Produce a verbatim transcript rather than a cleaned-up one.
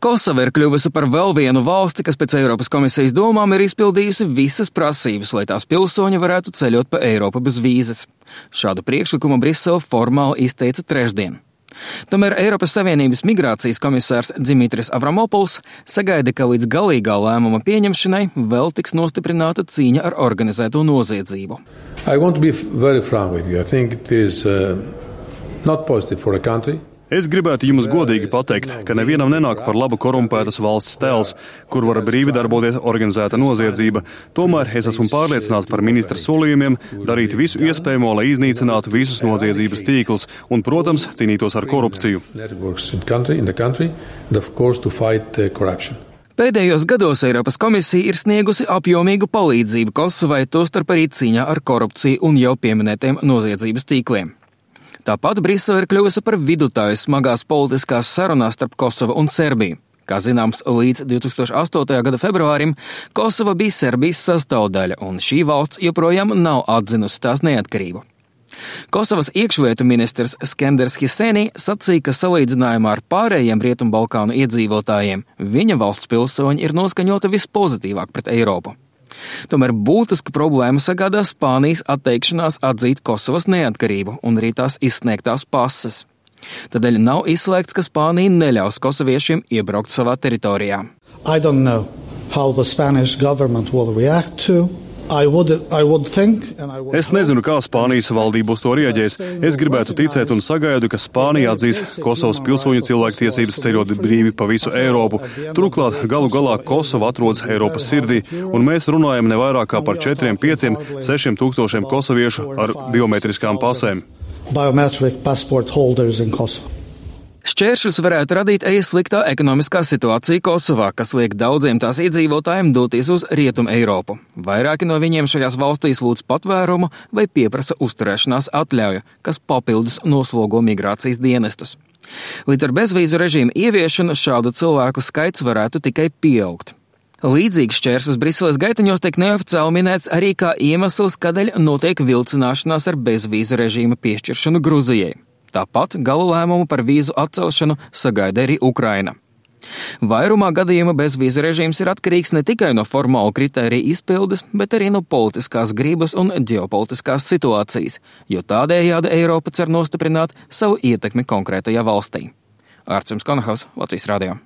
Kosova ir kļuvusi par vēl vienu valsti, kas pēc Eiropas komisijas domām ir izpildījusi visas prasības, lai tās pilsoņi varētu ceļot pa Eiropu bez vīzes. Šādu priekšlikumu Brisele formāli izteica trešdien. Tomēr Eiropas Savienības migrācijas komisārs Dimitris Avramopuls sagaida, ka līdz galīgā lēmuma pieņemšanai vēl tiks nostiprināta cīņa ar organizēto noziedzību. I want to be very frank with you. I think it is uh, not positive for a country. Es gribētu jums godīgi pateikt, ka nevienam nenāk par labu korumpētas valsts tēls, kur var brīvi darboties organizēta noziedzība. Tomēr es esmu pārliecināts par ministra solījumiem darīt visu iespējamo, lai iznīcinātu visus noziedzības tīklus un, protams, cīnītos ar korupciju. Pēdējos gados Eiropas komisija ir sniegusi apjomīgu palīdzību Kosovai, tostarp arī cīņā ar korupciju un jau pieminētiem noziedzības tīkliem. Tāpat Brisele ir kļuvusi par vidutāju smagās politiskās sarunās starp Kosovu un Serbiju. Kā zināms, līdz divs tūkstoši astotajā gada februārim Kosova bija Serbijas sastāvdaļa, un šī valsts joprojām nav atzinusi tās neatkarību. Kosovas iekšlietu ministrs Skenders Hiseni sacīja, ka salīdzinājumā ar pārējiem Rietumbalkānu iedzīvotājiem viņa valsts pilsoņi ir noskaņota vispozitīvāk pret Eiropu. Tomēr būtisku problēmu sagādā Spānijas atteikšanās atzīt Kosovas neatkarību un arī tās izsniegtās pases. Tādēļ nav izslēgts, ka Spānija neļaus kosoviešiem iebraukt savā teritorijā. I don't know how the Spanish government will react to. I would, I would think, and I would es nezinu, kā Spānijas valdība uz to rieģēs. Es gribētu ticēt un sagaidu, ka Spānija atzīs Kosovas pilsoņu cilvēktiesības ceļot brīvi pa visu Eiropu. Turklāt galu galā Kosova atrodas Eiropas sirdī, un mēs runājam ne vairāk kā par četriem, pieciem, sešiem tūkstošiem kosoviešu ar biometriskām pasēm. Biometric passport holders in Kosovo. Šķēršļus varētu radīt arī sliktā ekonomiskā situācija Kosovā, kas liek daudziem tās iedzīvotājiem doties uz Rietumu Eiropu. Vairāki no viņiem šajās valstīs lūdz patvērumu vai pieprasa uzturēšanās atļauju, kas papildus noslogo migrācijas dienestus. Līdz ar bezvīzu režīmu ieviešanu šādu cilvēku skaits varētu tikai pieaugt. Līdzīgs šķērslis Briseles gaitaņos tiek neoficiāli minēts arī kā iemesls, kādēļ notiek vilcināšanās ar bezvīzu režīma piešķiršanu Gruzijai. Tāpat galu lēmumu par vīzu atcelšanu sagaida arī Ukraina. Vairumā gadījuma bezvīzu režīms ir atkarīgs ne tikai no formālu kritēriju izpildes, bet arī no politiskās gribas un ģeopolitiskās situācijas, jo tādējādi Eiropa cer nostiprināt savu ietekmi konkrētajā valstī. Ārtsums Konahaus, Latvijas radio.